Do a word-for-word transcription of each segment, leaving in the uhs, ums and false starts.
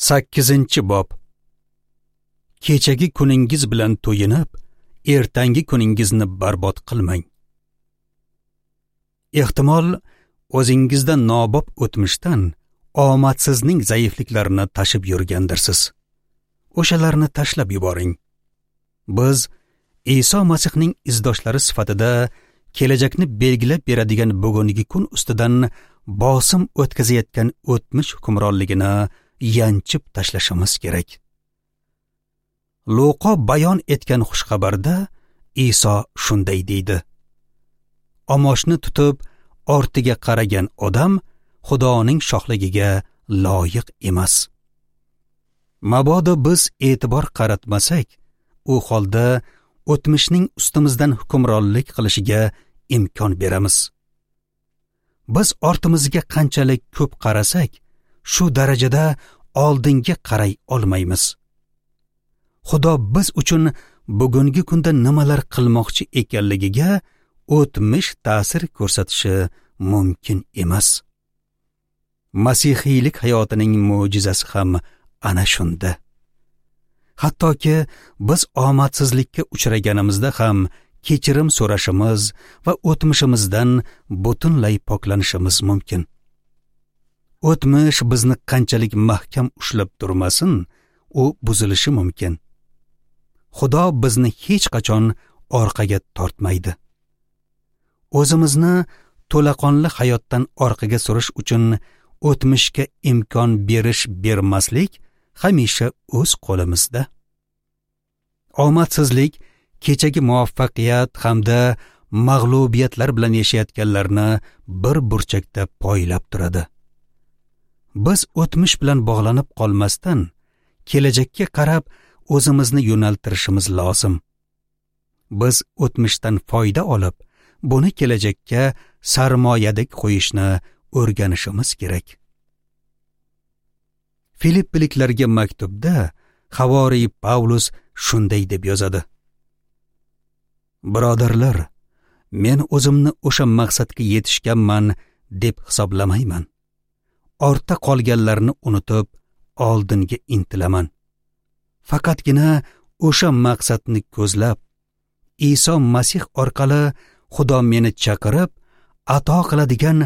Sakkizinchi bob. Kechagi kuningiz bilan to'yinib, ertangi kuningizni barbod qilmang. Ehtimol o'zingizda nobob o'tmishdan omadsizning zaifliklarini tashib yurgandirsiz. O'shalarni tashlab yuboring. Biz Iso Masihning izdoshlari sifatida kelajakni belgilab beradigan bugungi kun ustidan bosim o'tkazayotgan o'tmish hukmronligini yanchib tashlashimiz kerak. Luqo bayon etgan xushxabarda Iso shunday deydi: Omoshni tutib ortiga qaragan odam Xudoning shohligiga loyiq emas. Mabodo biz e'tibor qaratmasak, u holda o'tmishning ustimizdan hukmronlik qilishiga imkon beramiz. Biz ortimizga qanchalik ko'p qarasak, shu darajada oldinga qaray olmaymiz. Xudo biz uchun bugungi kunda nimalar qilmoqchi ekanligiga o'tmish ta'sir ko'rsatishi mumkin emas. Masihiylik hayotining mo'jizasi ham ana shunda. Hattoki biz omadsizlikka uchraganimizda ham kechirim so'rashimiz va o'tmishimizdan butunlay poklanishimiz mumkin. O'tmish bizni qanchalik mahkam ushlab turmasin, u buzilishi mumkin. Xudo bizni hech qachon orqaga tortmaydi. O'zimizni to'laqonli hayotdan orqaga surish uchun o'tmishga imkon berish bermaslik hamisha o'z qo'limizda. Omadsizlik kechagi muvaffaqiyat hamda mag'lubiyatlar bilan yashayotganlarni bir burchakda poylab turadi. Biz o'tmish bilan bog'lanib qolmasdan, kelajakka qarab o'zimizni yo'naltirishimiz lozim. Biz o'tmishdan foyda olib, buni kelajakka sarmoyadek qo'yishni o'rganishimiz kerak. Filippiliklarga maktubda havoriy Pavlus shunday deb yozadi: Birodarlar, men o'zimni o'sha maqsadga yetishganman deb hisoblamayman. Ortda qolganlarni unutib, oldinga intilaman. Faqatgina o'sha maqsadni ko'zlab, Iso Masih orqali Xudo meni chaqirib, ato qiladigan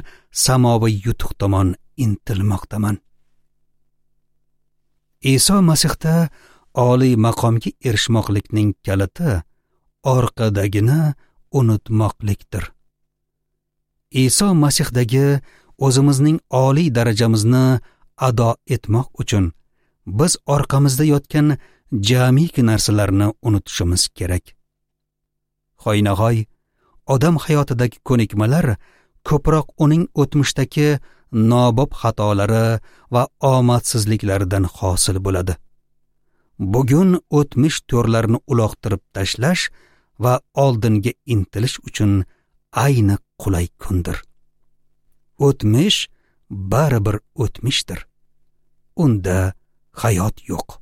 samoviy yutuq tomon intilmoqdaman. Iso Masihda oliy maqomga erishmoqlikning kaliti orqadagini unutmoqlikdir. Iso Masihdagi o'zimizning oliy darajamizni ado etmoq uchun biz orqamizda yotgan jamiki narsalarni unutishimiz kerak. Hoynahoy odam hayotidagi ko'nikmalar ko'proq uning o'tmishdagi nobob xatolari va omadsizliklaridan hosil bo'ladi. Bugun o'tmish to'rlarini uloqtirib tashlash va oldinga intilish uchun ayni qulay kundir. O'tmish baribir o'tmishdir. Unda hayot yo'q.